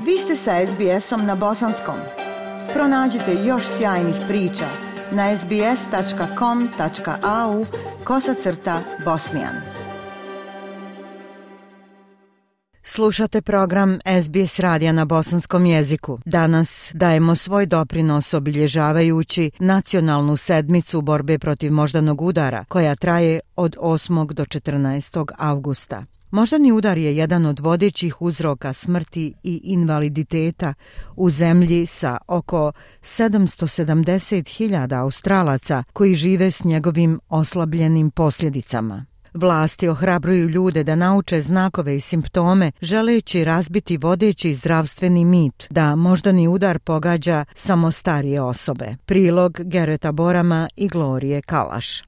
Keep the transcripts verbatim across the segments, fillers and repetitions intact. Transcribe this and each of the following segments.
Vi ste sa es bi esom na bosanskom. Pronađite još sjajnih priča na es bi es tačka com tačka a u kosacrta bosnijan. Slušate program es bi es radija na bosanskom jeziku. Danas dajemo svoj doprinos obilježavajući nacionalnu sedmicu borbe protiv moždanog udara, koja traje od osmog do četrnaestog avgusta. Moždani udar je jedan od vodećih uzroka smrti i invaliditeta u zemlji sa oko sedamsto sedamdeset hiljada Australaca koji žive s njegovim oslabljenim posljedicama. Vlasti ohrabruju ljude da nauče znakove i simptome, želeći razbiti vodeći zdravstveni mit da moždani udar pogađa samo starije osobe. Prilog Gereta Borama i Glorije Kalaš.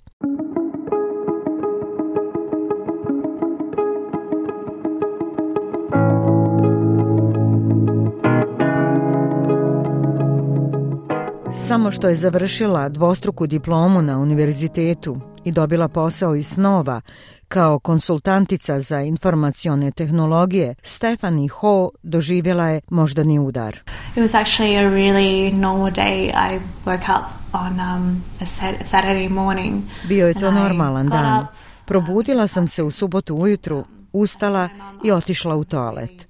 Samo što je završila dvostruku diplomu na univerzitetu i dobila posao iz snova kao konsultantica za informacione tehnologije, Stephanie Ho doživjela je moždani udar. It was actually a really normal day. I woke up on um, a Saturday morning. Bio je to normalan dan. Probudila sam se u subotu ujutru, ustala i otišla u toalet.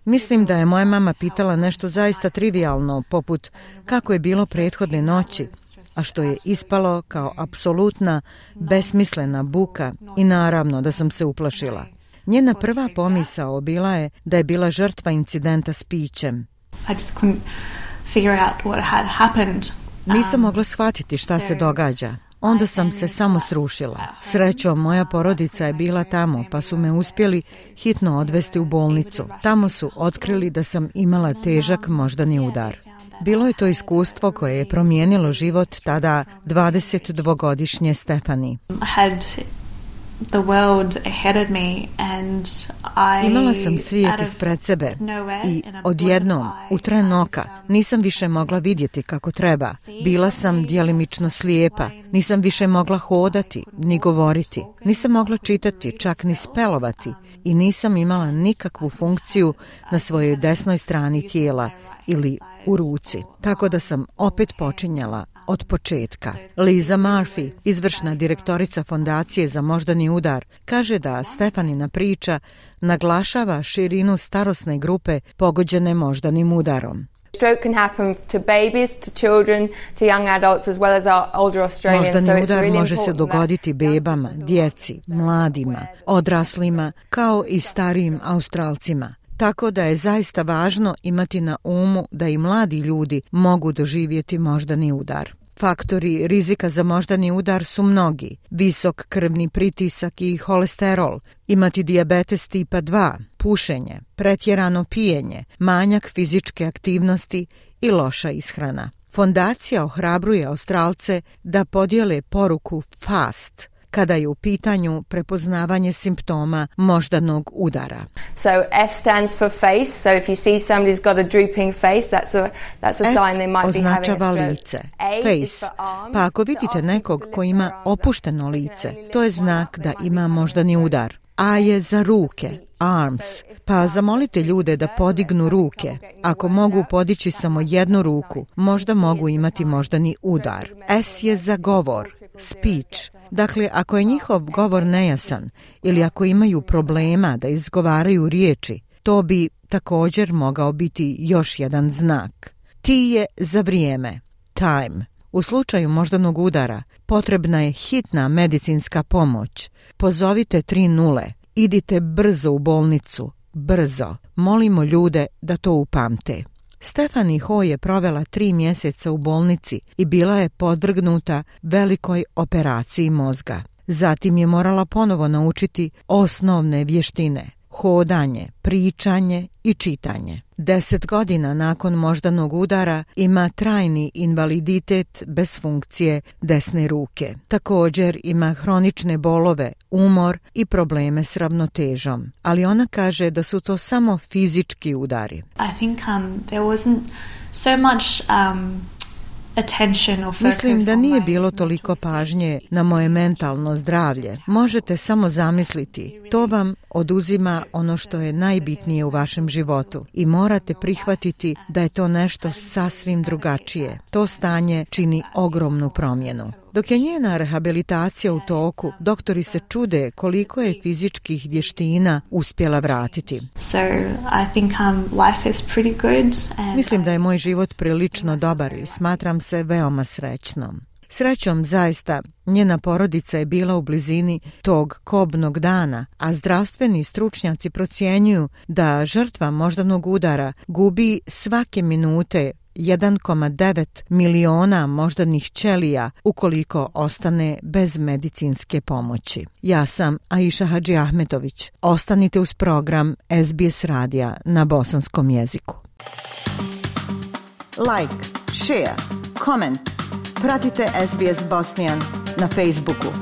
Mislim da je moja mama pitala nešto zaista trivijalno, poput kako je bilo prethodne noći, a što je ispalo kao apsolutna, besmislena buka i naravno da sam se uplašila. Njena prva pomisao bila je da je bila žrtva incidenta s pićem. I just couldn't figure out what had happened. Nisam mogla shvatiti šta se događa. Onda sam se samo srušila. Srećom, moja porodica je bila tamo, pa su me uspjeli hitno odvesti u bolnicu. Tamo su otkrili da sam imala težak moždani udar. Bilo je to iskustvo koje je promijenilo život tada dvadesetdvogodišnje Stephanie. The world ahead of me and I Imala sam svijet ispred sebe i odjednom, u tren oka, nisam više mogla vidjeti kako treba. Bila sam djelimično slijepa, nisam više mogla hodati ni govoriti, nisam mogla čitati, čak ni spelovati i nisam imala nikakvu funkciju na svojoj desnoj strani tijela ili u ruci, tako da sam opet počinjala od početka. Liza Murphy, izvršna direktorica Fondacije za moždani udar, kaže da Stephanina priča naglašava širinu starosne grupe pogođene moždanim udarom. Stroke can happen to babies, to children, to young adults as well as our older Australians. Moždani udar može se dogoditi bebama, djeci, mladima, odraslima, kao i starijim Australcima. Tako da je zaista važno imati na umu da i mladi ljudi mogu doživjeti moždani udar. Faktori rizika za moždani udar su mnogi. Visok krvni pritisak i holesterol, imati dijabetes tipa dva, pušenje, pretjerano pijenje, manjak fizičke aktivnosti i loša ishrana. Fondacija ohrabruje Australce da podijele poruku FAST kada je u pitanju prepoznavanje simptoma moždanog udara. So F stands for face, so if you see somebody's got a drooping face, that's a that's a sign they might be having a stroke. Označava lice, face, pa ako vidite nekog ko ima opušteno lice, to je znak da ima moždani udar. A je za ruke, arms, pa zamolite ljude da podignu ruke. Ako mogu podići samo jednu ruku, možda mogu imati moždani udar. S je za govor, speech. Dakle, ako je njihov govor nejasan ili ako imaju problema da izgovaraju riječi, to bi također mogao biti još jedan znak. T je za vrijeme, time. U slučaju moždanog udara potrebna je hitna medicinska pomoć. Pozovite tri nule. Idite brzo u bolnicu. Brzo. Molimo ljude da to upamte. Stephanie Ho je provela tri mjeseca u bolnici i bila je podvrgnuta velikoj operaciji mozga. Zatim je morala ponovo naučiti osnovne vještine, hodanje, pričanje i čitanje. Deset godina nakon moždanog udara ima trajni invaliditet bez funkcije desne ruke. Također ima hronične bolove, umor i probleme s ravnotežom. Ali ona kaže da su to samo fizički udari. I think um, there wasn't so much um, Mislim da nije bilo toliko pažnje na moje mentalno zdravlje. Možete samo zamisliti, to vam oduzima ono što je najbitnije u vašem životu i morate prihvatiti da je to nešto sasvim drugačije. To stanje čini ogromnu promjenu. Dok je njena rehabilitacija u toku, doktori se čude koliko je fizičkih vještina uspjela vratiti. So, I think, um, life is pretty good and Mislim da je moj život prilično dobar i smatram se veoma srećnom. Srećom, zaista, njena porodica je bila u blizini tog kobnog dana, a zdravstveni stručnjaci procjenjuju da žrtva moždanog udara gubi svake minute jedan zarez devet miliona moždanih ćelija ukoliko ostane bez medicinske pomoći. Ja sam Aisha Hadži Ahmetović. Ostanite uz program S B S radija na bosanskom jeziku. Like, share, comment. Pratite S B S Bosnian na Facebooku.